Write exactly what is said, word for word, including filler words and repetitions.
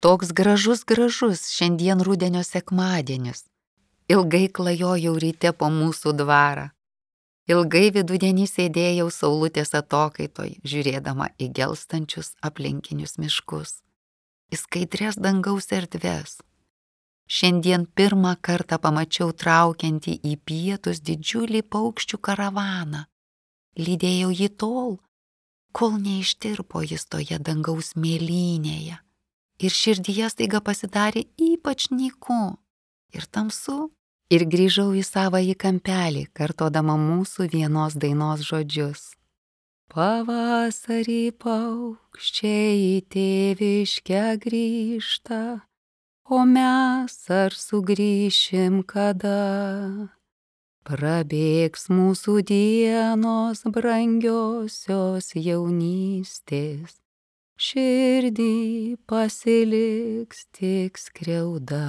Toks gražus gražus šiandien rudenio sekmadienis. Ilgai klajojau ryte po mūsų dvarą. Ilgai vidudienį sėdėjau saulutės atokaitoj, žiūrėdama į gelstančius aplinkinius miškus, į skaidres dangaus erdves. Šiandien pirmą kartą pamačiau traukiantį į pietus didžiulį paukščių karavaną. Lydėjau jį tol, kol neištirpo jis toje dangaus mėlynėje. Ir širdyje staiga pasidarė ypač nyku ir tamsu. Ir grįžau į savąjį kampelį, kartodama mūsų vienos dainos žodžius. Pavasarį paukščiai į tėviškę grįžta, o mes ar sugrįšim kada? Prabėgs mūsų dienos brangiosios jaunystės, širdį pasiliks tik skriauda.